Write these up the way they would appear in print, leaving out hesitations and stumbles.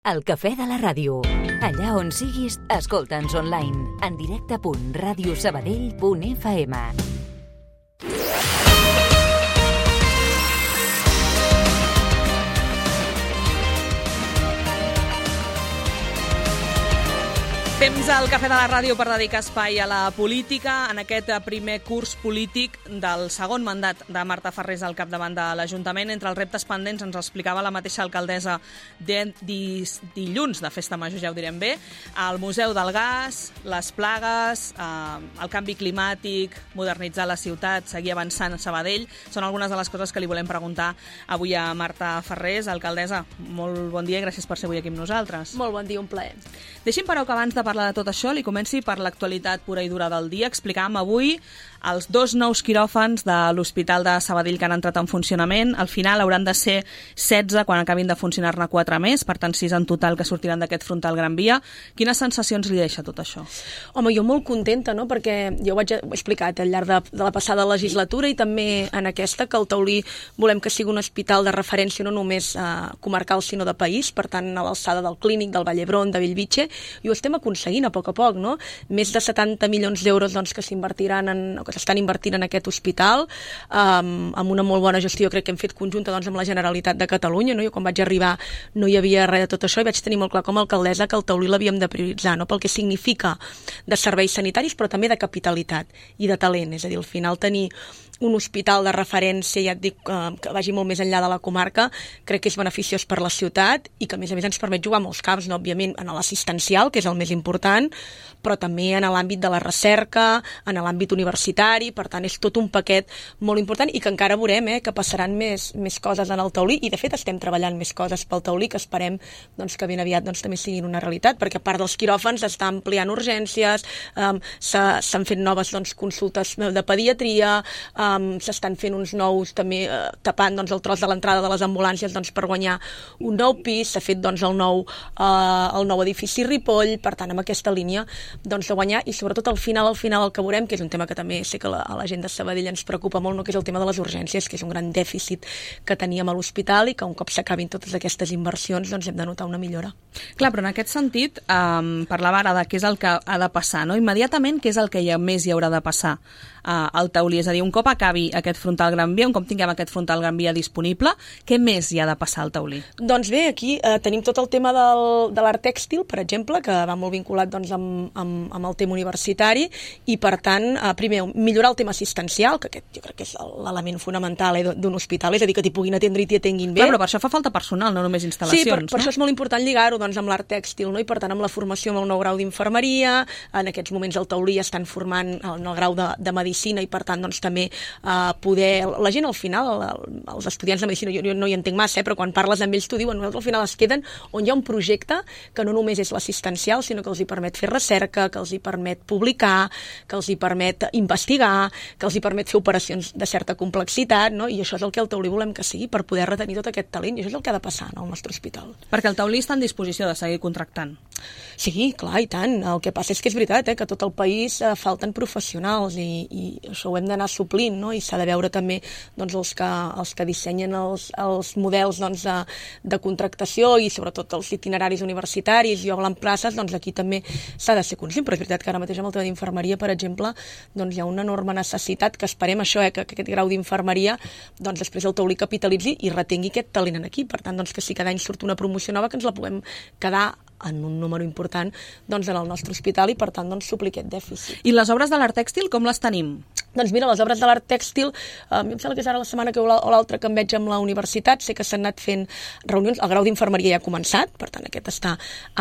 El cafè de la ràdio. Allà on siguis, escolta'ns online. En directe.radiosabadell.fm. Temps al Cafè de la Ràdio per dedicar espai a la política en aquest primer curs polític del segon mandat de Marta Farrés al capdavant de l'Ajuntament. Entre els reptes pendents ens explicava la mateixa alcaldessa dilluns de Festa Major, ja ho direm bé, el Museu del Gas, les plagues, el canvi climàtic, modernitzar la ciutat, seguir avançant a Sabadell. Són algunes de les coses que li volem preguntar avui a Marta Farrés. Alcaldessa, molt bon dia i gràcies per ser avui aquí amb nosaltres. Molt bon dia, un plaer. Deixi'm, però, que abans de parlar de tot això, li comenci per l'actualitat pura i dura del dia. Explicàvem avui els 2 nous quiròfans de l'Hospital de Sabadell que han entrat en funcionament. Al final hauran de ser 16 quan acabin de funcionar-ne 4 més, per tant 6 en total que sortiran d'aquest frontal Gran Via. Quines sensacions li deixa tot això? Home, jo molt contenta, no?, perquè jo ho he explicat al llarg de la passada legislatura i també en aquesta, que el Taulí volem que sigui un hospital de referència no només comarcal sinó de país, per tant a l'alçada del Clínic, del Vall d'Hebron, de Bellvitge, i ho estem aconseguint a poc, no? Més de 70 milions d'euros doncs, que s'estan invertint en aquest hospital, amb una molt bona gestió, crec que hem fet conjunta doncs, amb la Generalitat de Catalunya, no? Jo quan vaig arribar no hi havia res de tot això i vaig tenir molt clar com a alcaldessa que el Taulí l'havíem de prioritzar, no? Pel que significa de serveis sanitaris, però també de capitalitat i de talent, és a dir, al final tenir un hospital de referència, ja et dic, que vagi molt més enllà de la comarca, crec que és beneficiós per la ciutat i que a més ens permet jugar molts camps, no? Òbviament en l'assistencial, que és el més important, però també en l'àmbit de la recerca, en l'àmbit universitari, per tant és tot un paquet molt important i que encara veurem que passaran més coses en el Taulí i de fet estem treballant més coses pel Taulí que esperem doncs, que ben aviat doncs, també siguin una realitat, perquè a part dels quiròfans s'està ampliant urgències, s'han fet noves doncs, consultes de pediatria, s'estan fent uns nous també tapant doncs, el tros de l'entrada de les ambulàncies doncs, per guanyar un nou pis, s'ha fet doncs, el nou edifici Ripoll, per tant amb aquesta línia doncs, de guanyar i sobretot al final el que veurem, que és un tema que també sé que a la gent de Sabadell ens preocupa molt, no? Que és el tema de les urgències, que és un gran dèficit que teníem a l'hospital i que un cop s'acabin totes aquestes inversions doncs hem de notar una millora. Clar, però en aquest sentit parlava ara de què és el que ha de passar, no? Immediatament què és el que més hi haurà de passar al Taulí, és a dir, un cop acabi aquest frontal Gran Via, un cop tinguem aquest frontal Gran Via disponible, què més hi ha de passar al Taulí? Doncs bé, aquí tenim tot el tema de l'art tèxtil, per exemple, que va molt vinculat doncs, amb el tema universitari i, per tant, primer, millorar el tema assistencial, que aquest jo crec que és l'element fonamental d'un hospital, és a dir, que t'hi puguin atendre i t'hi atenguin bé. Clar, però per això fa falta personal, no només instal·lacions. Sí, per això és molt important lligar-ho doncs, amb l'art tèxtil, no? I per tant amb la formació amb el nou grau d'infermeria, en aquests moments al Taulí estan formant en el grau de medicina i per tant doncs, també poder... La gent al final, els estudiants de medicina, jo no hi entenc massa, però quan parles amb ells t'ho diuen, nosaltres al final es queden on hi ha un projecte que no només és l'assistencial, sinó que els hi permet fer recerca, que els hi permet publicar, que els hi permet investigar, que els hi permet fer operacions de certa complexitat, no? I això és el que el Taulí volem que sigui per poder retenir tot aquest talent, i això és el que ha de passar al nostre hospital. Perquè el Taulí està en disposició de seguir contractant. Sí, clar, i tant. El que passa és que és veritat, que a tot el país falten professionals i això ho hem d'anar suplint, no? I s'ha de veure també doncs, els que dissenyen els models doncs, de contractació i sobretot els itineraris universitaris i obren places, doncs aquí també s'ha de ser conscient, però és veritat que ara mateix amb el tema d'infermeria, per exemple, doncs hi ha una enorme necessitat que esperem això, que aquest grau d'infermeria doncs després el Taulí capitalitzi i retengui aquest talent aquí. Per tant, doncs, que si cada any surt una promoció nova que ens la puguem quedar en un número important doncs, en el nostre hospital i per tant doncs, suplir aquest dèficit. I les obres de l'art tèxtil com les tenim? Doncs mira, les obres de l'art tèxtil, em sembla que és ara la setmana o l'altra que em veig amb la universitat, sé que s'han anat fent reunions, el grau d'infermeria ja ha començat, per tant aquest està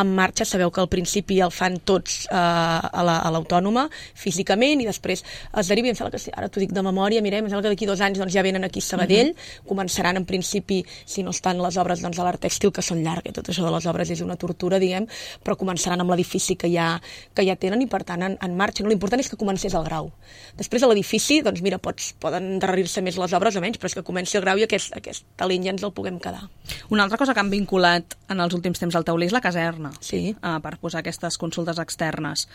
en marxa, sabeu que al principi el fan tots a l'autònoma físicament i després es deriva, em sembla que ara t'ho dic de memòria, mirem, em sembla que d'aquí 2 anys doncs, ja venen aquí a Sabadell, començaran en principi, si no estan les obres doncs, de l'art tèxtil, que són llargues, tot això de les obres és una tortura, diguem, però començaran amb l'edifici que ja tenen i per tant en marxa. No, l'important és que comencés el grau. Després a l'edifici, doncs mira, poden endarrerir-se més les obres o menys, però és que comenci el grau i aquest talent ja ens el puguem quedar. Una altra cosa que han vinculat en els últims temps al Taulí és la caserna, sí. Per posar aquestes consultes externes.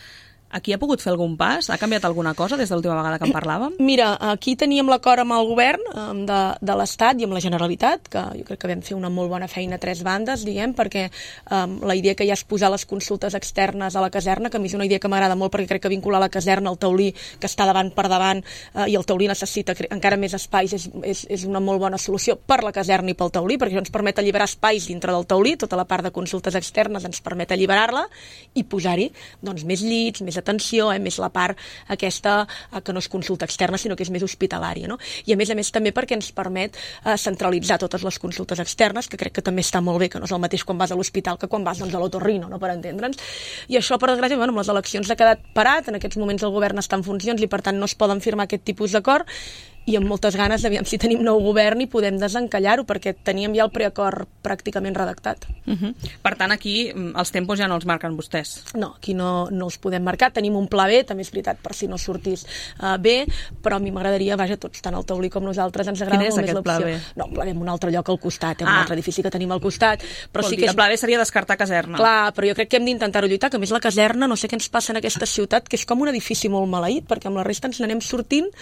Aquí ha pogut fer algun pas? Ha canviat alguna cosa des de l'última vegada que en parlàvem? Mira, aquí teníem l'acord amb el govern de l'Estat i amb la Generalitat, que jo crec que vam fer una molt bona feina a 3 bandes, diguem, perquè la idea que ja és posar les consultes externes a la caserna, que a mi és una idea que m'agrada molt perquè crec que vincular la caserna al taulí, que està davant per davant, i el taulí necessita encara més espais, és una molt bona solució per la caserna i pel taulí, perquè això ens permet alliberar espais dintre del taulí, tota la part de consultes externes ens permet alliberar-la i posar-hi doncs, més llits, més atenció, més la part aquesta que no és consulta externa, sinó que és més hospitalària, no? I a més també perquè ens permet centralitzar totes les consultes externes, que crec que també està molt bé, que no és el mateix quan vas a l'hospital que quan vas doncs, a l'otorrino, no? Per entendre'ns. I això, per desgràcia, amb les eleccions ha quedat parat, en aquests moments el govern està en funcions i per tant no es poden firmar aquest tipus d'acord, i amb moltes ganes d'aviam si tenim nou govern i podem desencallar-ho, perquè teníem ja el preacord pràcticament redactat. Per tant, aquí els tempos ja no els marquen vostès. No, aquí no els podem marcar. Tenim un pla B, també és veritat, per si no sortís bé, però a mi m'agradaria, vaja, tots, tant el taulí com nosaltres, ens agrada molt més l'opció. Quin és aquest pla B? No, un pla B en un altre lloc al costat, un altre edifici que tenim al costat. Però sí que el pla B seria descartar caserna. Clar, però jo crec que hem d'intentar-ho lluitar, que a més la caserna, no sé què ens passa en aquesta ciutat, que és com un edifici molt maleït, perquè amb la resta ens n'anem sortint,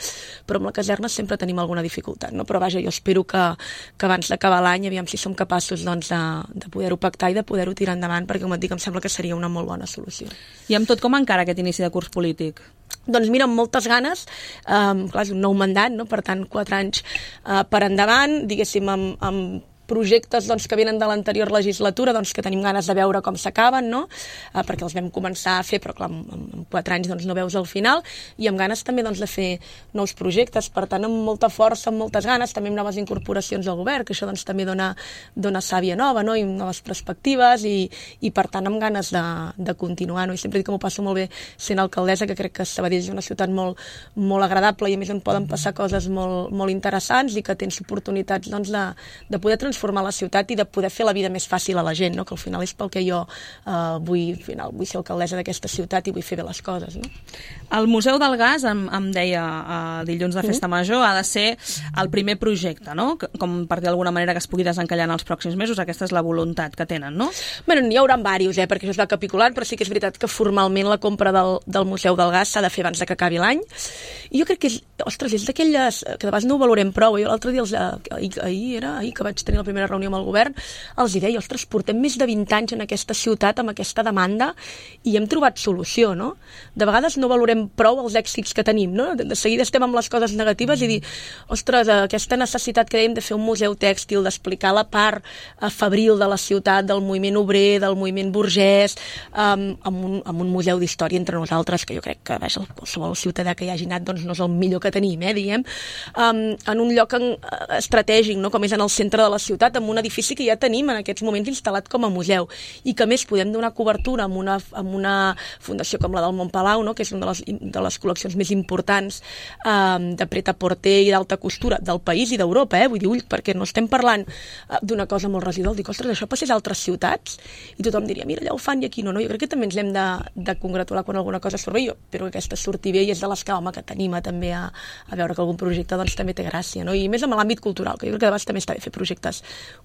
però amb la caserna sempre tenim alguna dificultat, no? Però vaja, jo espero que abans d'acabar l'any, aviam si som capaços doncs, de poder-ho pactar i de poder-ho tirar endavant, perquè com et dic, em sembla que seria una molt bona solució. I amb tot, com encara aquest inici de curs polític? Doncs mira, amb moltes ganes, clar, és un nou mandat, no? Per tant, 4 anys per endavant, diguéssim, amb projectes doncs, que venen de l'anterior legislatura, doncs, que tenim ganes de veure com s'acaben, no? Perquè els vam començar a fer, però clar, en 4 anys doncs, no veus al final, i amb ganes també doncs, de fer nous projectes, per tant, amb molta força, amb moltes ganes, també amb noves incorporacions al govern, que això doncs, també dona sàvia nova, no? I noves perspectives, i per tant, amb ganes de continuar, no? I sempre dic que m'ho passo molt bé sent alcaldessa, que crec que Sabadell és una ciutat molt, molt agradable i a més on poden passar coses molt, molt interessants i que tens oportunitats doncs, de poder transformar la ciutat i de poder fer la vida més fàcil a la gent, no? Que al final és pel que jo vull ser alcaldessa d'aquesta ciutat i vull fer bé les coses. No? El Museu del Gas, em deia dilluns de Festa Major, ha de ser el primer projecte, no? Com per dir d'alguna manera que es pugui desencallar en els pròxims mesos, aquesta és la voluntat que tenen, no? Bé, n'hi haurà diversos, perquè això es va capitulant, però sí que és veritat que formalment la compra del Museu del Gas s'ha de fer abans que acabi l'any. I jo crec que és d'aquelles que de vegades no ho valorem prou. Jo l'altre dia, ahir que vaig tenir la primera reunió amb el govern, els hi deia, ostres, portem més de 20 anys en aquesta ciutat amb aquesta demanda i hem trobat solució, no? De vegades no valorem prou els èxits que tenim, no? De seguida estem amb les coses negatives i dir, ostres, aquesta necessitat que dèiem de fer un museu tèxtil, d'explicar la part febril de la ciutat, del moviment obrer, del moviment burgès, amb un museu d'història entre nosaltres, que jo crec que qualsevol ciutadà que hi hagi anat doncs no és el millor que tenim, diguem, en un lloc estratègic, no? Com és en el centre de la ciutat, amb un edifici que ja tenim en aquests moments instal·lat com a museu i que més podem donar cobertura amb una fundació com la del Montpalau, no? Que és una de les col·leccions més importants de pret-a-porter i d'alta costura del país i d'Europa, vull dir, perquè no estem parlant d'una cosa molt residual, dic, ostres, això passés a altres ciutats i tothom diria, mira, allà ho fan i aquí no, jo crec que també ens hem de congratular quan alguna cosa surt bé, jo espero que aquesta surti bé i és de les que, home, que t'anima també a veure que algun projecte doncs també té gràcia, no? I més amb l'àmbit cultural, que jo crec que de vegades també està bé fer projectes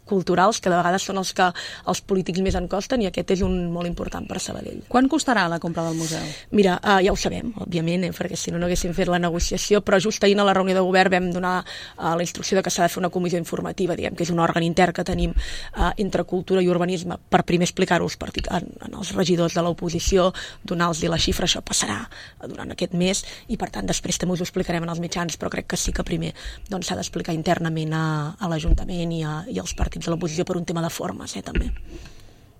culturals, que de vegades són els que els polítics més en costen i aquest és un molt important per Sabadell. Quan costarà la compra del museu? Mira, ja ho sabem, òbviament, perquè si no haguéssim fet la negociació, però just ahir a la reunió de govern vam donar la instrucció de que s'ha de fer una comissió informativa, diguem que és un òrgan intern que tenim entre cultura i urbanisme, per primer explicar-ho als regidors de l'oposició, donar-los la xifra, això passarà durant aquest mes i per tant després també us ho explicarem en els mitjans, però crec que sí que primer doncs, s'ha d'explicar internament a l'Ajuntament i als partits de l'oposició per un tema de formes, també.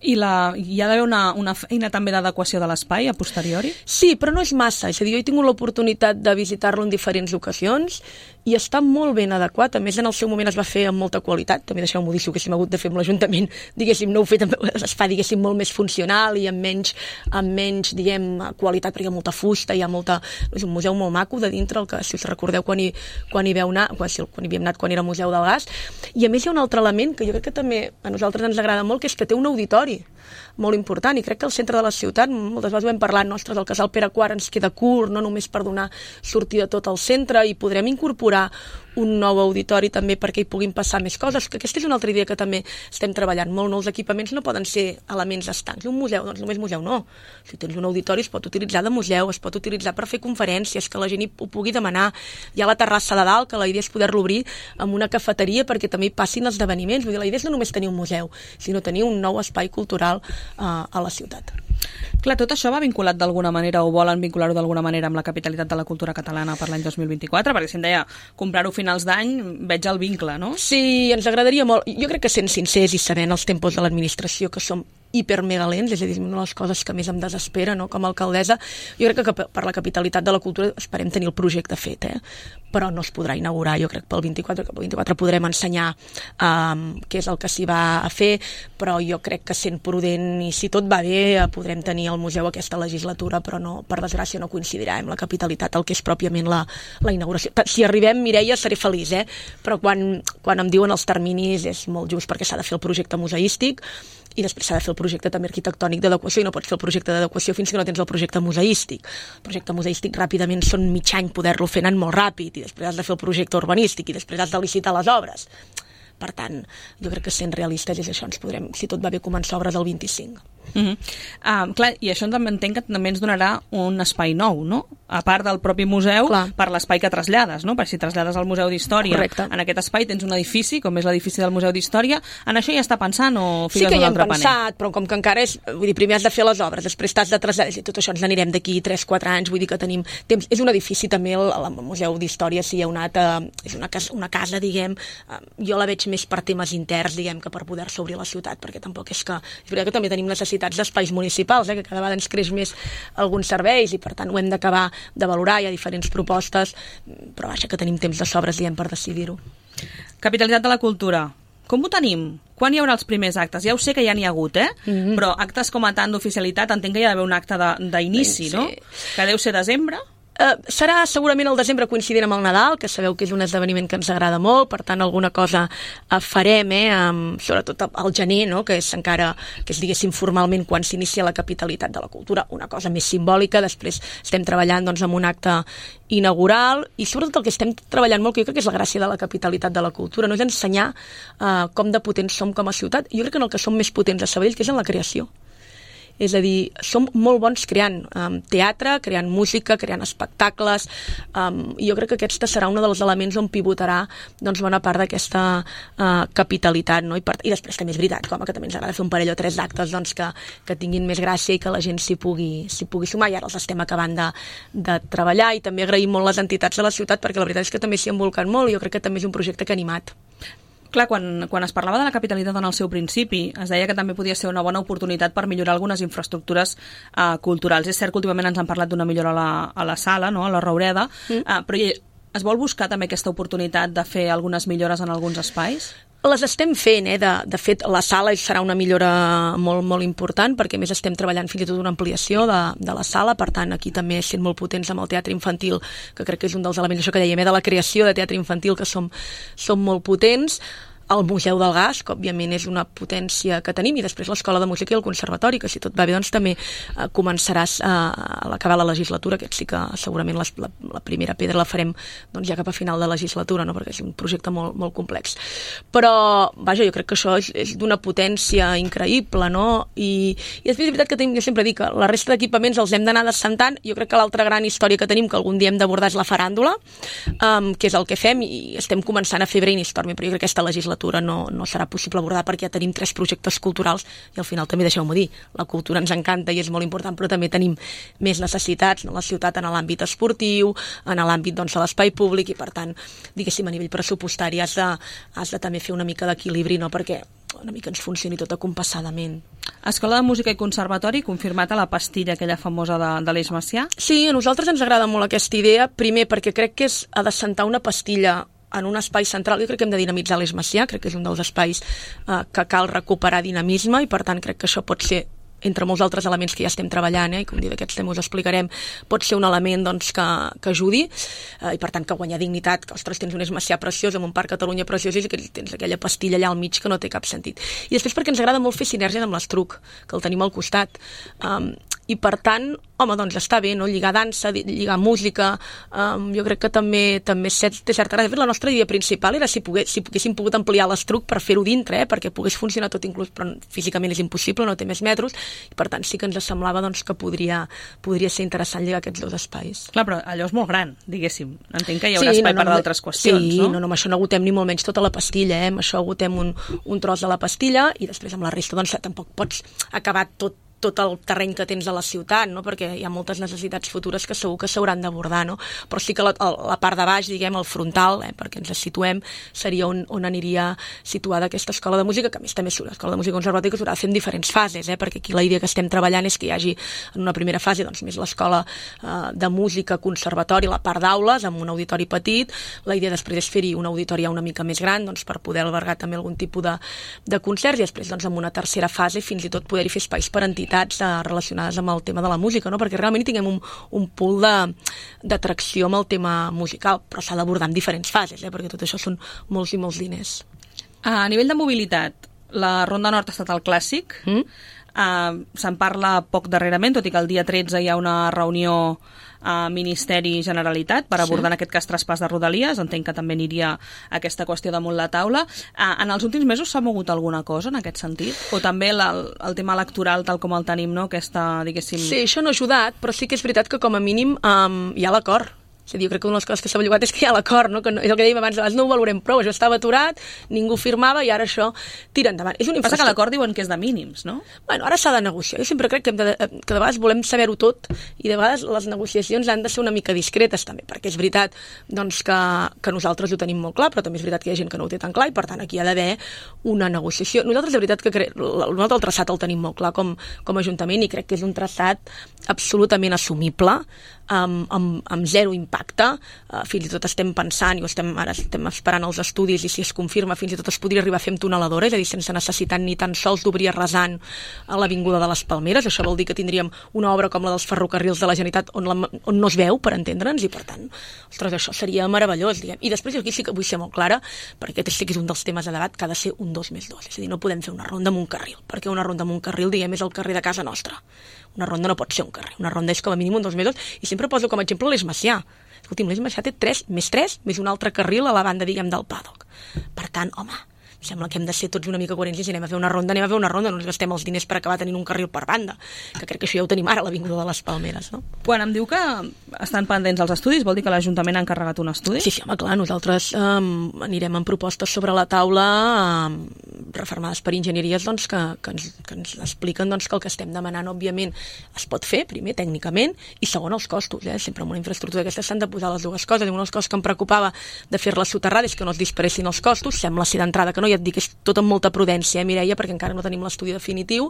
I hi ha d'haver una feina també d'adequació de l'espai a posteriori? Sí, però no és massa. És a dir, jo he tingut l'oportunitat de visitar-lo en diferents ocasions i està molt ben adequat. A més, en el seu moment es va fer amb molta qualitat. També deixeu-m'ho dir, si ho haguéssim hagut de fer amb l'Ajuntament, diguéssim, no ho he fet, es fa, diguéssim, molt més funcional i amb menys, diguem, qualitat, perquè hi ha molta fusta, és un museu molt maco de dintre, el que, si us recordeu, quan hi havíem anat quan era Museu del Gas. I a més hi ha un altre element que jo crec que també a nosaltres ens agrada molt, que és que té un auditori molt important, i crec que el centre de la ciutat, moltes vegades ho hem parlat, nostres, el casal Pere IV ens queda curt, no només per donar sortida a tot el centre, i podrem incorporar un nou auditori també perquè hi puguin passar més coses, que aquesta és una altra idea que també estem treballant molt. Els equipaments no poden ser elements estancs. Un museu, doncs només museu no. Si tens un auditori es pot utilitzar de museu, es pot utilitzar per fer conferències, que la gent ho pugui demanar. Hi ha la terrassa de dalt, que la idea és poder-lo obrir amb una cafeteria perquè també hi passin esdeveniments. Vull dir, la idea és no només tenir un museu, sinó tenir un nou espai cultural a la ciutat. Clar, tot això va vinculat d'alguna manera o volen vincular-ho d'alguna manera amb la capitalitat de la cultura catalana per l'any 2024? Perquè si em deia comprar-ho a finals d'any, veig el vincle, no? Sí, ens agradaria molt. Jo crec que sent sincers i sabent els tempos de l'administració que som hipermegalents, és a dir, una de les coses que més em desespera, no? Com a alcaldessa, jo crec que per la capitalitat de la cultura esperem tenir el projecte fet, però no es podrà inaugurar, jo crec, pel 24, que pel 24 podrem ensenyar què és el que s'hi va a fer, però jo crec que sent prudent i si tot va bé podrem tenir el museu aquesta legislatura, però no, per desgràcia no coincidirà amb la capitalitat, el que és pròpiament la inauguració. Si arribem, Mireia, seré feliç, però quan em diuen els terminis és molt just perquè s'ha de fer el projecte museístic i després s'ha de fer el projecte també arquitectònic d'adequació i no pots fer el projecte d'adequació fins que no tens el projecte museístic. El projecte museístic ràpidament són mig any poder-lo fer anant molt ràpid i després has de fer el projecte urbanístic i després has de licitar les obres. Per tant, jo crec que sent realistes és això, ens podrem, si tot va bé, començar obres el 25. Clar, i això també entenc que també ens donarà un espai nou, no? A part del propi museu, per l'espai que trasllades, no? Perquè si trasllades al Museu d'Història, en aquest espai tens un edifici, com és l'edifici del Museu d'Història. En això ja està pensant o figues un altre paner? Sí que hi hem pensat, però com que encara és... Vull dir, primer has de fer les obres, després t'has de traslladar, i tot això ens n'anirem d'aquí 3-4 anys, vull dir que tenim temps. És un edifici també, el Museu d'Història, si hi ha és una casa, diguem, jo la veig més per temes interns, diguem, que per poder-se obrir a la ciutat, perquè tampoc és que... És veritat que també tenim necessitats d'espais municipals, que cada vegada ens creix més alguns serveis i per tant ho hem d'acabar de valorar, hi ha diferents propostes, però vaja que tenim temps de sobres, diem, per decidir-ho. Capitalitat de la cultura, com ho tenim? Quan hi haurà els primers actes? Ja ho sé que ja n'hi ha hagut, però actes com a tant d'oficialitat entenc que hi ha d'haver un acte d'inici, no? Que deu ser desembre? Serà segurament el desembre coincidint amb el Nadal, que sabeu que és un esdeveniment que ens agrada molt, per tant alguna cosa farem, sobretot al gener, no? que és diguéssim formalment quan s'inicia la capitalitat de la cultura, una cosa més simbòlica. Després estem treballant doncs, amb un acte inaugural i sobretot el que estem treballant molt, que jo crec que és la gràcia de la capitalitat de la cultura, no és ensenyar com de potents som com a ciutat. Jo crec que en el que som més potents a Sabadell, que és en la creació. És a dir, som molt bons creant teatre, creant música, creant espectacles, i jo crec que aquest serà un dels elements on pivotarà doncs, bona part d'aquesta capitalitat. No? I després també és veritat, que també ens agrada fer un parell o 3 d'actes doncs, que tinguin més gràcia i que la gent s'hi pugui sumar, i ara els estem acabant de treballar, i també agraïm molt les entitats de la ciutat, perquè la veritat és que també s'hi embolquen molt, i jo crec que també és un projecte que ha animat. Clar, quan es parlava de la capitalitat en el seu principi, es deia que també podia ser una bona oportunitat per millorar algunes infraestructures culturals. És cert que últimament ens han parlat d'una millora a la sala, no? A la Roureda, però es vol buscar també aquesta oportunitat de fer algunes millores en alguns espais? Les estem fent, de fet la sala serà una millora molt, molt important, perquè més estem treballant fins i tot una ampliació de la sala, per tant aquí també sent molt potents amb el teatre infantil, que crec que és un dels elements, això que dèiem, de la creació de teatre infantil, que som molt potents. El Museu del Gas, que òbviament és una potència que tenim, i després l'Escola de Música i el Conservatori, que si tot va bé doncs també començaràs a l'acabar la legislatura, aquest sí que segurament la primera pedra la farem doncs, ja cap a final de legislatura, no? Perquè és un projecte molt, molt complex. Però, vaja, jo crec que això és d'una potència increïble, no? I després és veritat que jo sempre dic que la resta d'equipaments els hem d'anar descentant. Jo crec que l'altra gran història que tenim, que algun dia hem d'abordar, és la faràndula, que és el que fem, i estem començant a fer brainstorming, però jo crec que aquesta legislatura no serà possible abordar perquè ja tenim 3 projectes culturals i al final també deixeu-m'ho dir, la cultura ens encanta i és molt important, però també tenim més necessitats en la ciutat en l'àmbit esportiu, en l'àmbit doncs, de l'espai públic, i per tant, diguéssim, a nivell pressupostari has de també fer una mica d'equilibri, no? Perquè una mica ens funcioni tot acompassadament. Escola de Música i Conservatori, confirmat a la pastilla aquella famosa de l'Eix Macià? Sí, a nosaltres ens agrada molt aquesta idea, primer perquè crec que ha de sentar una pastilla en un espai central. Jo crec que hem de dinamitzar l'Eix Macià, crec que és un dels espais que cal recuperar dinamisme, i per tant crec que això pot ser, entre molts altres elements que ja estem treballant, i com dic, d'aquests temes us explicarem, pot ser un element doncs, que ajudi, i per tant que guanyar dignitat, que ostres, tens un Eix Macià preciós, amb un Parc Catalunya preciós, i que tens aquella pastilla allà al mig que no té cap sentit. I després perquè ens agrada molt fer sinergies amb l'Estruc, que el tenim al costat, i per tant, home, doncs està bé, no? Lligar dansa, lligar música, jo crec que també té certa gràcia. De fet, la nostra idea principal era si poguéssim pogut ampliar l'estruc per fer-ho dintre, perquè pogués funcionar tot inclús, però físicament és impossible, no té més metres, i per tant sí que ens semblava doncs, que podria ser interessant lligar aquests dos espais. Clar, però allò és molt gran, diguéssim. Entenc que hi haurà espai per d'altres qüestions, sí, no? Sí, amb això no agotem ni molt menys tota la pastilla, amb això agotem un tros de la pastilla i després amb la resta doncs tampoc pots acabar tot el terreny que tens a la ciutat, no? Perquè hi ha moltes necessitats futures que segur que s'hauran d'abordar, no? Però sí que la part de baix, diguem, el frontal, perquè ens situem, seria on aniria situada aquesta escola de música, que a més també l'escola de música conservativa s'haurà de fer en diferents fases, perquè aquí la idea que estem treballant és que hi hagi en una primera fase doncs, més l'escola de música, conservatori, la part d'aules, amb un auditori petit. La idea després és fer-hi un auditori una mica més gran doncs, per poder albergar també algun tipus de concerts i després doncs, en una tercera fase fins i tot poder-hi fer espais per entitats relacionades amb el tema de la música, no? Perquè realment hi tinguem un pool d'atracció amb el tema musical, però s'ha d'abordar en diferents fases, perquè tot això són molts i molts diners. A nivell de mobilitat, la Ronda Nord ha estat el clàssic. Se'n parla poc darrerament, tot i que el dia 13 hi ha una reunió a Ministeri Generalitat per abordar en aquest cas traspàs de Rodalies. Entenc que també aniria aquesta qüestió damunt la taula. En els últims mesos s'ha mogut alguna cosa en aquest sentit? O també el tema electoral tal com el tenim, no? Aquesta, diguéssim... Sí, això no ha ajudat, però sí que és veritat que com a mínim hi ha l'acord. És a dir, jo crec que una de les coses que s'ha bellugat és que hi ha l'acord, no? Que és el que dèiem abans, no ho valorem prou, això estava aturat, ningú firmava i ara això tira endavant. Passa que l'acord diuen que és de mínims, no? Bueno, ara s'ha de negociar. Jo sempre crec que de vegades volem saber-ho tot i de vegades les negociacions han de ser una mica discretes també, perquè és veritat doncs, que nosaltres ho tenim molt clar, però també és veritat que hi ha gent que no ho té tan clar i per tant aquí hi ha d'haver una negociació. Nosaltres de veritat que nosaltres el traçat el tenim molt clar com a Ajuntament i crec que és un traçat absolutament assumible, amb zero impacte. Fins i tot estem pensant i ara estem esperant els estudis i si es confirma fins i tot es podria arribar a fer amb tuneladora, és a dir, sense necessitat ni tan sols d'obrir a rasant a l'Avinguda de les Palmeres. Això vol dir que tindríem una obra com la dels ferrocarrils de la Generalitat on no es veu, per entendre'ns, i per tant, ostres, això seria meravellós, diguem. I després aquí sí que vull ser molt clara, perquè aquest sí que és un dels temes de debat, que ha de ser un 2+2, és a dir, no podem fer una ronda amb un carril, perquè una ronda amb un carril, diguem, és el carrer de casa nostra. Una ronda no pot ser un carrer, una ronda és com a mínim un 2+2, i sempre poso com a exemple l'Eix Macià. Escolti'm, l'Eix Macià té 3 més un altre carril a la banda, diguem, del paddock. Per tant, home, sembla que hem de ser tots una mica coherents i si anem a fer una ronda, no ens gastem els diners per acabar tenint un carril per banda, que crec que això ja ho tenim ara a l'Avinguda de les Palmeres, no? Quan em diu que estan pendents els estudis, vol dir que l'Ajuntament ha encarregat un estudi? Sí, home, clar, nosaltres anirem amb propostes sobre la taula reformades per enginyeries doncs, que ens expliquen doncs, que el que estem demanant, òbviament, es pot fer, primer, tècnicament, i segon, els costos. Sempre en una infraestructura d'aquestes s'han de posar les dues coses. Una de les coses que em preocupava de fer-la soterrada és que no es disparessin els costos, sembla ser d'entrada que no, ja et dic que és tot amb molta prudència, Mireia, perquè encara no tenim l'estudi definitiu,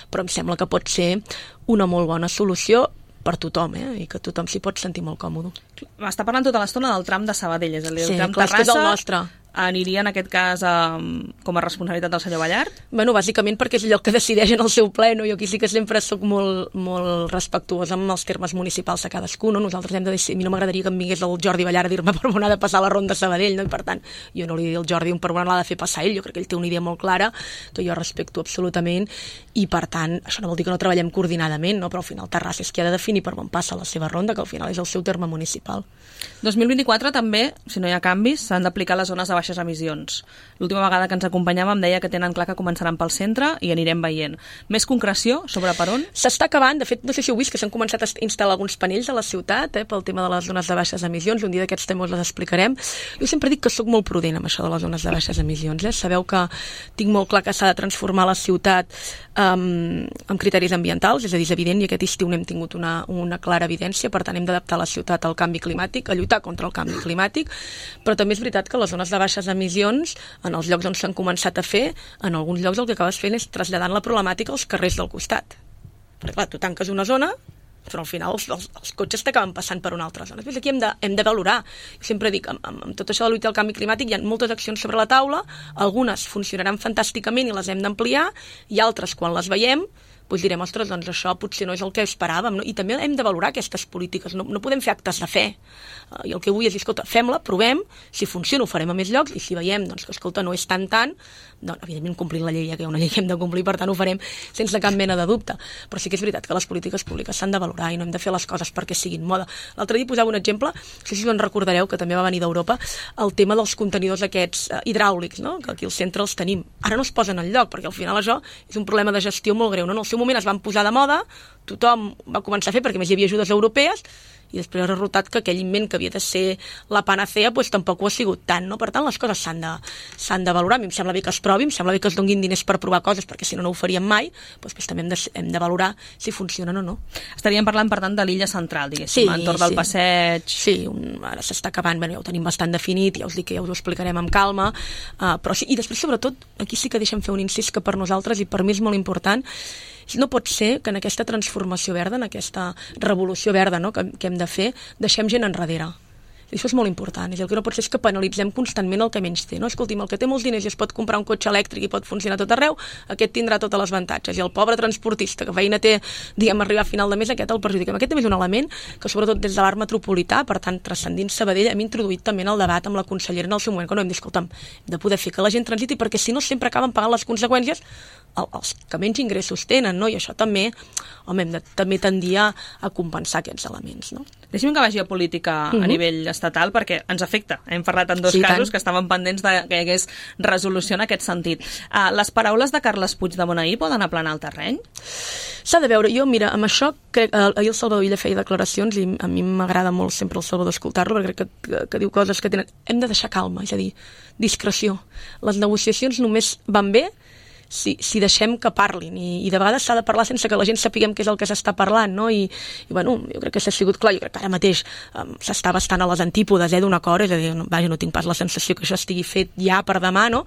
però em sembla que pot ser una molt bona solució per tothom, i que tothom s'hi pot sentir molt còmode. M'està parlant tota l'estona del tram de Sabadell, és a dir, el tram clar, Terrassa... És el nostre. Aniria, en aquest cas, com a responsabilitat del senyor Ballart? Bueno, bàsicament perquè és allò que decideix en el seu ple, no? Jo aquí sí que sempre soc molt respectuosa amb els termes municipals de cadascú, no? Nosaltres hem de decidir, a mi no m'agradaria que em vingués el Jordi Ballart a dir-me per on ha de passar la ronda de Sabadell, no? I per tant, jo no li dic al Jordi per on l'ha de fer passar ell, jo crec que ell té una idea molt clara, que jo respecto absolutament, i per tant, això no vol dir que no treballem coordinadament, no? Però al final Terrassa és qui ha de definir per on passa la seva ronda, que al final és el seu terme municipal. 2024 també, si no hi ha canvis, s'han d'aplicar les zones de baixes emissions. L'última vegada que ens acompanyàvem deia que tenen clar que començaran pel centre i anirem veient. Més concreció sobre per on? S'està acabant, de fet, no sé si heu vist que s'han començat a instal·lar alguns panells a la ciutat pel tema de les zones de baixes emissions, un dia d'aquests temes les explicarem. Jo sempre dic que sóc molt prudent amb això de les zones de baixes emissions. Sabeu que tinc molt clar que s'ha de transformar la ciutat amb criteris ambientals, és a dir, és evident, i aquest estiu n'hem tingut una clara evidència, per tant hem d'adaptar la ciutat al canvi climàtic, a lluitar contra el canvi climàtic, però també és veritat que les zones de baixes emissions, en els llocs on s'han començat a fer, en alguns llocs el que acabes fent és traslladant la problemàtica als carrers del costat. Perquè clar, tu tanques una zona, però al final els cotxes t'acaben passant per una altra zona. Després aquí hem de valorar. Jo sempre dic, amb tot això de lluitar al canvi climàtic hi ha moltes accions sobre la taula, algunes funcionaran fantàsticament i les hem d'ampliar, i altres, quan les veiem, doncs direm, ostres, doncs això potser no és el que esperàvem, no? I també hem de valorar aquestes polítiques, no podem fer actes de fe. I el que vull és dir, escolta, fem-la, provem, si funciona ho farem a més llocs, i si veiem doncs, que, escolta, no és tant, doncs, evidentment, complint la llei, que hi ha una llei que hem de complir, per tant, ho farem sense cap mena de dubte. Però sí que és veritat que les polítiques públiques s'han de valorar i no hem de fer les coses perquè siguin moda. L'altre dia posava un exemple, no sé si us en recordareu, que també va venir d'Europa, el tema dels contenidors aquests hidràulics, no? Que aquí al centre els tenim. Ara no es posen enlloc, perquè al final això és un problema de gestió molt greu, no? En el seu moment es van posar de moda, tothom va començar a fer perquè més hi havia ajudes europees, i després ha resultat que aquell invent que havia de ser la panacea doncs tampoc ho ha sigut tant, no? Per tant, les coses s'han de valorar. A mi em sembla bé que es provi, em sembla bé que es donguin diners per provar coses, perquè si no, no ho faríem mai, doncs també hem de valorar si funcionen o no. Estaríem parlant, per tant, de l'illa central, diguéssim, entorn del passeig... Sí, ara s'està acabant, ja ho tenim bastant definit, ja us dic que ja us ho explicarem amb calma, però sí, i després, sobretot, aquí sí que deixem fer un incís que per nosaltres, i per mi és molt important, no pot ser que en aquesta transformació verda, en aquesta revolució verda, no?, que hem de fer, deixem gent enrere. I això és molt important. El que no pot ser és que penalitzem constantment el que menys té. No? Escolti'm, el que té molts diners i es pot comprar un cotxe elèctric i pot funcionar tot arreu, aquest tindrà totes les avantatges. I el pobre transportista que feina té, diguem, arribar a final de mes, aquest el perjudiquem. Aquest també és un element que, sobretot des de l'art metropolità, per tant, transcendint Sabadell, hem introduït també en el debat amb la consellera en el seu moment, que no hem dit, escolta'm, hem de poder fer que la gent transiti, perquè si no sempre acaben pagant les conseqüències els que menys ingressos tenen, no? I això també, home, hem de també tendir a compensar aquests elements, no? Deixi'm que vagi a política a nivell estatal, perquè ens afecta. Hem parlat en dos casos que estaven pendents de que hi hagués resolució en aquest sentit. Les paraules de Carles Puigdemont ahir poden aplanar el terreny? S'ha de veure. Jo, mira, amb això, ahir el Salvador Illa feia declaracions i a mi m'agrada molt sempre el Salvador escoltar-lo, perquè crec que diu coses que tenen... Hem de deixar calma, és a dir, discreció. Les negociacions només van bé si deixem que parlin, i de vegades s'ha de parlar sense que la gent sapiguem què és el que s'està parlant, no? I bueno, jo crec que s'ha sigut clar, jo crec que ara mateix s'està bastant a les antípodes d'un acord, és a dir, vaja, no tinc pas la sensació que això estigui fet ja per demà, no?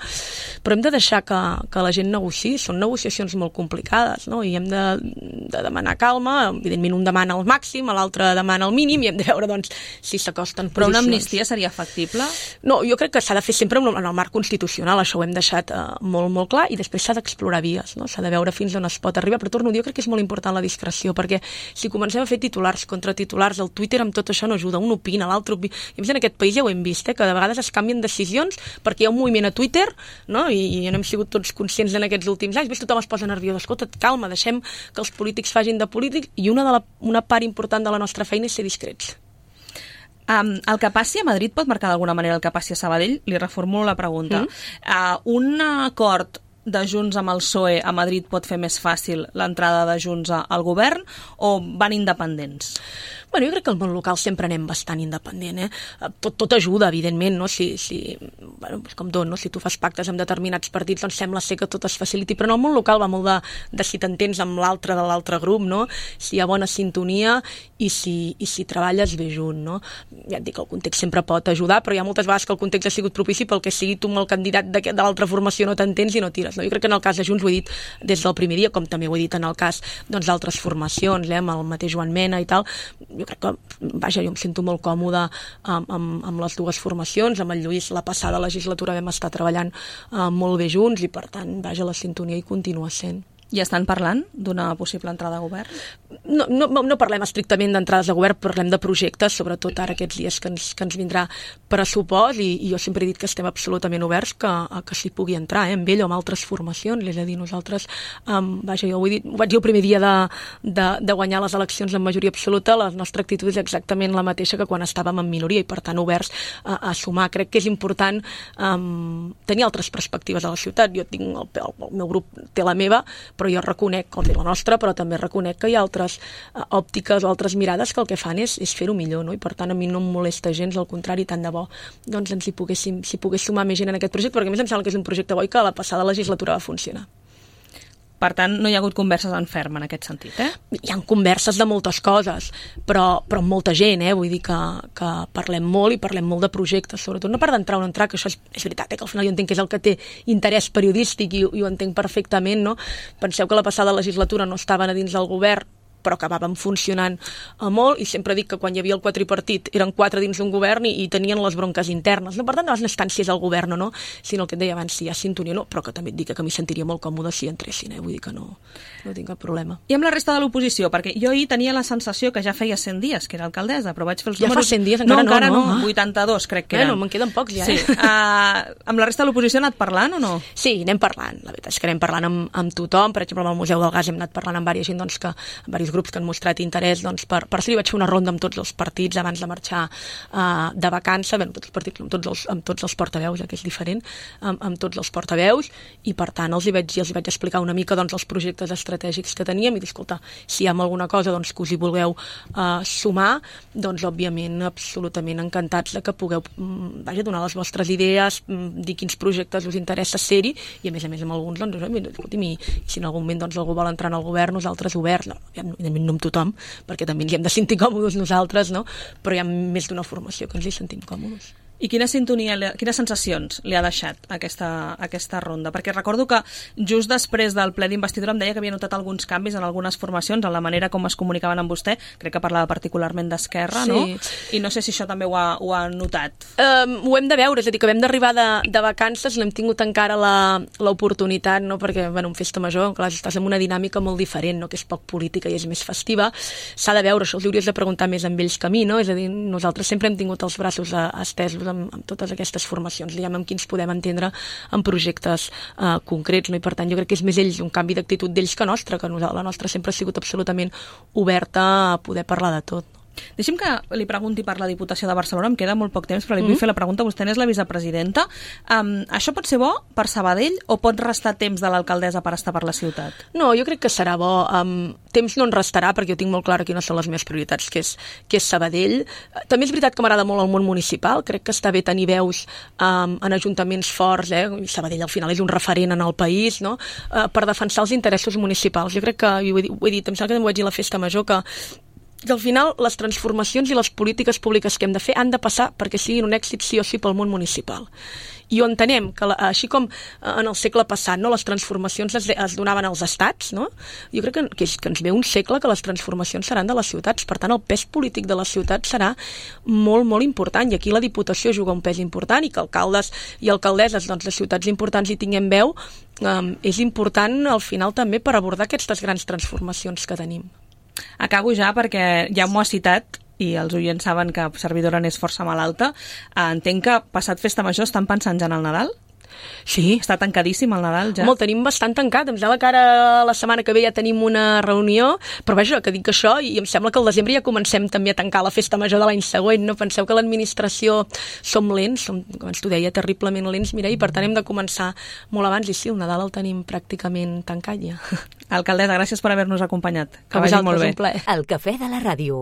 Però hem de deixar que la gent negociï, són negociacions molt complicades, no? I hem de demanar calma, evidentment un demana el màxim, l'altre demana el mínim, i hem de veure, doncs, si s'acosten posicions. Però una amnistia seria factible? No, jo crec que s'ha de fer sempre en el marc constitucional, això ho hem deixat molt, molt clar, i després s'ha d'explorar vies, no? S'ha de veure fins on es pot arribar, però torno a dir, jo crec que és molt important la discreció, perquè si comencem a fer titulars contra titulars, el Twitter amb tot això no ajuda, un opina, l'altre opina, i a més en aquest país ja ho hem vist, que de vegades es canvien decisions perquè hi ha un moviment a Twitter, no? I no hem sigut tots conscients en aquests últims anys, tothom es posa nerviós, escolta, calma, deixem que els polítics facin de polítics, i una part important de la nostra feina és ser discrets. El que passi a Madrid pot marcar d'alguna manera el que passi a Sabadell? Li reformulo la pregunta. Un acord de Junts amb el PSOE a Madrid pot fer més fàcil l'entrada de Junts al govern, o van independents? Bueno, jo crec que al món local sempre anem bastant independent, Tot ajuda, evidentment, no? Bueno, com tot, no? Si tu fas pactes amb determinats partits, doncs sembla ser que tot es faciliti, però en el món local va molt de si t'entens amb l'altre de l'altre grup, no? Si hi ha bona sintonia i si treballes bé junt, no? Ja et dic, el context sempre pot ajudar, però hi ha moltes vegades que el context ha sigut propici pel que sigui tu amb el candidat de l'altra formació no t'entens i no tires, no? Jo crec que en el cas de Junts ho he dit des del primer dia, com també ho he dit en el cas d'altres formacions, amb el mateix Joan Mena i tal. Jo crec que, vaja, jo em sento molt còmode amb les dues formacions, amb el Lluís la passada legislatura vam estar treballant molt bé junts i per tant, vaja, la sintonia hi continua sent. I estan parlant d'una possible entrada a govern? No parlem estrictament d'entrades a govern, parlem de projectes, sobretot ara aquests dies que ens vindrà pressupost, i jo sempre he dit que estem absolutament oberts que s'hi pugui entrar, amb ell o amb altres formacions, és a dir, nosaltres, vaja, jo ho vaig dir el primer dia de guanyar les eleccions en majoria absoluta, la nostra actitud és exactament la mateixa que quan estàvem en minoria, i per tant oberts a sumar. Crec que és important tenir altres perspectives a la ciutat. Jo tinc el meu grup té la meva, però jo reconec, com la nostra, però també reconec que hi ha altres òptiques o altres mirades que el que fan és fer-ho millor, no? I per tant a mi no em molesta gens, al contrari, tant de bo doncs s'hi pogués sumar més gent en aquest projecte, perquè a més em sembla que és un projecte bo i que a la passada legislatura va funcionar. Per tant, no hi ha hagut converses en ferm en aquest sentit, Hi ha converses de moltes coses, però amb molta gent, Vull dir que parlem molt i parlem molt de projectes, sobretot no per d'entrar o no entrar, que això és veritat, que al final jo entenc que és el que té interès periodístic i ho entenc perfectament, no? Penseu que la passada legislatura no estaven a dins del govern però acabàvem funcionant molt, i sempre dic que quan hi havia el quadripartit eren 4 dins d'un govern i tenien les bronques internes, no? Per tant, no les instàncies al govern, no? Sinó el que et deia abans, si hi ha sintonia, no, però que també et dic que m'hi sentiria molt còmode si entressin, vull dir que no tinc cap problema. I amb la resta de l'oposició, perquè jo ahir tenia la sensació que ja feia 100 dies que era alcaldessa, però vaig fer els números... Ja fa 100 dies? Encara no. 82 crec que eren. Bueno, me'n queden pocs ja. Sí. Amb la resta de l'oposició ha anat parlant o no? Sí, anem parlant. La veritat és que anem parlant amb tothom. Per exemple, amb el Museu del Gas hem anat parlant amb diversos gent, doncs, amb diversos grups que han mostrat interès, doncs, per això vaig fer una ronda amb tots els partits abans de marxar de vacances, bé, tots els partits, amb tots els portaveus, que és diferent, amb tots els portaveus, i per tant els hi vaig explicar una mica, doncs, els projectes estratègics que teníem i dir, escolta, si hi ha alguna cosa, doncs, que us hi vulgueu sumar, doncs òbviament absolutament encantats de que pugueu donar les vostres idees, dir quins projectes us interessa ser-hi, i a més amb alguns, doncs, escolti'm, i si en algun moment doncs, algú vol entrar en el govern, nosaltres oberts, no amb tothom, perquè també ens hi hem de sentir còmodes nosaltres, no? Però hi ha més d'una formació que ens hi sentim còmodes. I quina sintonia, quines sensacions li ha deixat aquesta ronda? Perquè recordo que just després del ple d'investidura em deia que havia notat alguns canvis en algunes formacions, en la manera com es comunicaven amb vostè, crec que parlava particularment d'Esquerra, sí. No? I no sé si això també ho ha notat. Ho hem de veure, és a dir, que vam d'arribar de vacances, no hem tingut encara l'oportunitat, no? Perquè en festa major, clar, estàs en una dinàmica molt diferent, no? Que és poc política i és més festiva, s'ha de veure, això els hauries de preguntar més amb ells que a mi, no? És a dir, nosaltres sempre hem tingut els braços estesos amb totes aquestes formacions, diguem, amb qui ens podem entendre en projectes concrets, no? I per tant jo crec que és més ells, un canvi d'actitud d'ells que nostra, que la nostra sempre ha sigut absolutament oberta a poder parlar de tot. Deixi'm que li pregunti per la Diputació de Barcelona, em queda molt poc temps, però li vull fer la pregunta, vostè n'és la vicepresidenta. Això pot ser bo per Sabadell o pot restar temps de l'alcaldessa per estar per la ciutat? No, jo crec que serà bo. Temps no en restarà, perquè jo tinc molt clar quines són les meves prioritats, que és Sabadell. També és veritat que m'agrada molt el món municipal, crec que està bé tenir veus en ajuntaments forts, Sabadell al final és un referent en el país, no? Per defensar els interessos municipals. Jo crec que, ho he dit, em sembla que ho vaig dir a la festa major, que al final les transformacions i les polítiques públiques que hem de fer han de passar perquè siguin un èxit sí o sí pel món municipal. I ho entenem, que així com en el segle passat, no, les transformacions es donaven als estats, no? Jo crec que ens ve un segle que les transformacions seran de les ciutats, per tant el pes polític de les ciutats serà molt, molt important, i aquí la Diputació juga un pes important, i que alcaldes i alcaldesses de ciutats importants hi tinguem veu, és important al final també per abordar aquestes grans transformacions que tenim. Acabo ja perquè ja m'ho ha citat i els oients saben que servidora n'és força malalta. Entenc que passat festa major estan pensant ja en el Nadal? Sí. Està tancadíssim el Nadal ja? Home, el tenim bastant tancat. Em sembla que ara la setmana que ve ja tenim una reunió, però vaja, que dic això, i em sembla que al desembre ja comencem també a tancar la festa major de l'any següent, no? Penseu que l'administració som lents, abans t'ho deia, terriblement lents, Mireia, i per tant hem de començar molt abans, i sí, el Nadal el tenim pràcticament tancat ja. Alcaldessa, gràcies per haver-nos acompanyat. Que vagi molt bé. El cafè de la ràdio.